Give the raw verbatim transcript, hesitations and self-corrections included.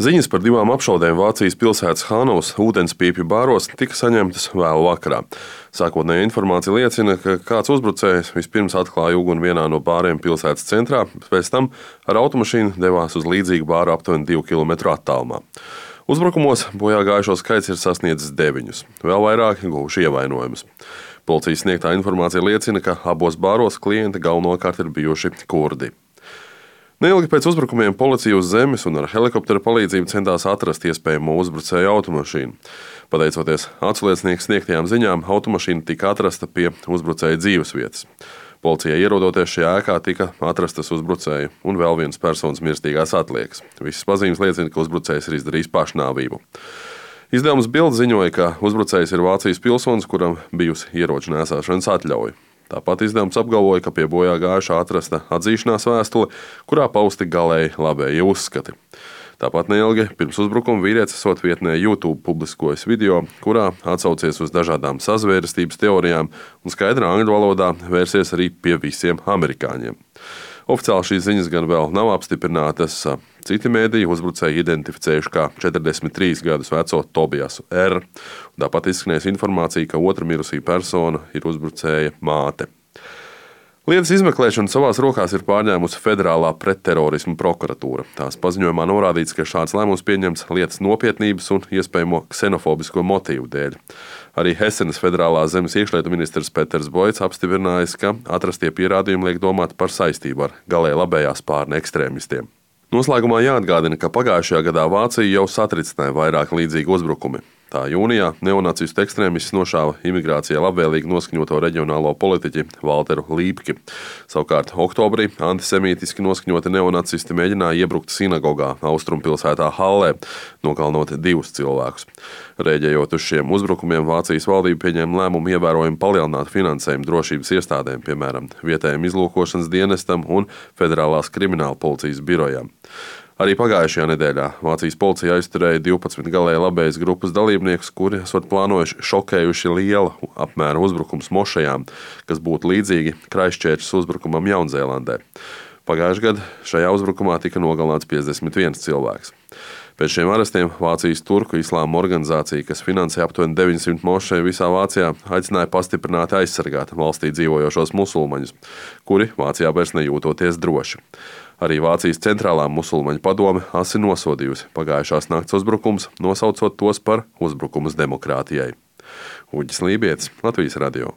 Ziņas par divām apšaudēm Vācijas pilsētas Hanovas ūdenspīpju bāros tika saņemtas vēlu vakarā. Sākotnējā informācija liecina, ka kāds uzbrucējs vispirms atklāja uguni vienā no bāriem pilsētas centrā, pēc tam ar automašīnu devās uz līdzīgu bāru aptuveni divu kilometru attālumā. Uzbrukumos bojā gājušo skaits ir sasniedzis deviņus, vēl vairāki guvuši ievainojumus. Policijas sniegtā informācija liecina, ka abos bāros klienti galvenokārt ir bijuši kurdi. Neilgi pēc uzbrukumiem policija uz zemes un ar helikoptera palīdzību centās atrast iespējamo uzbrucēju automašīnu. Pateicoties aculiecinieku sniegtajām ziņām, automašīna tika atrasta pie uzbrucēja dzīvesvietas. Policijai ierodoties šajā ēkā tika atrastas uzbrucēju un vēl vienas personas mirstīgās atliekas. Visas pazīmes liecina, ka uzbrucējs ir izdarījis pašnāvību. Izdevums Bild ziņoja, ka uzbrucējs ir Vācijas pilsonis, kuram bijusi ieroču nēsāšanas atļauja. Tāpat izdevums apgalvoja, ka pie bojā gājušā atrasta atzīšanās vēstule, kurā pausti galēji labējie uzskati. Tāpat neilgi pirms uzbrukuma vīrietis esot vietnē YouTube publiskojis video, kurā atsaucies uz dažādām sazvērestības teorijām un skaidrā angļu valodā vērsies arī pie visiem amerikāņiem. Oficiāli šīs ziņas gan vēl nav apstiprinātas. Citi mēdīji uzbrucēju identificējuši kā četrdesmit trīs gadus veco Tobiasu R. Tāpat izskanēs informācija, ka otra mirusī persona ir uzbrucēja māte. Lietas izmeklēšanu savās rokās ir pārņēmusi Federālā pretterorisma prokuratūra. Tās paziņojumā norādīts, ka šāds lēmums pieņemts lietas nopietnības un iespējamo ksenofobisko motīvu dēļ. Arī Hesenas federālās zemes iekšlietu ministrs Peters Boits apstiprinājis, ka atrastie pierādījumi liek domāt par saistību ar galēji labējā spārna ekstrēmistiem. Noslēgumā jāatgādina, ka pagājušajā gadā Vācija jau satricināja vairāk līdzīgi uzbrukumi. Tā jūnijā neonacistu ekstrēmists nošāva imigrācijai labvēlīgi noskaņoto reģionālo politiķi Valteru Lībki. Savukārt oktobrī antisemītiski noskaņoti neonacisti mēģināja iebrukt sinagogā austrumpilsētā Hallē, nogalinot divus cilvēkus. Rēģējot uz šiem uzbrukumiem, Vācijas valdība pieņēma lēmumu ievērojami palielināt finansējumu drošības iestādēm, piemēram, vietējiem izlūkošanas dienestam un Federālās krimināla policijas birojām. Arī pagājušajā nedēļā Vācijas policija aizturēja divpadsmit galēji labējas grupas dalībniekus, kuri esot plānojuši šokējuši liela apmēra uzbrukums mošajām, kas būtu līdzīgi Kraistčērčas uzbrukumam Jaunzēlandē. Pagājušajā gadā šajā uzbrukumā tika nogalināts piecdesmit viens cilvēks. Pēc šiem arestiem Vācijas turku islāma organizācija, kas finansē aptuveni deviņsimt mošeju visā Vācijā, aicināja pastiprināti aizsargāt valstī dzīvojošos musulmaņus, kuri Vācijā vairs nejūtoties droši. Arī Vācijas centrālā musulmaņu padome asi nosodījusi pagājušās nakts uzbrukums, nosaucot tos par uzbrukumus demokrātijai. Uģis Lībietis, Latvijas radio.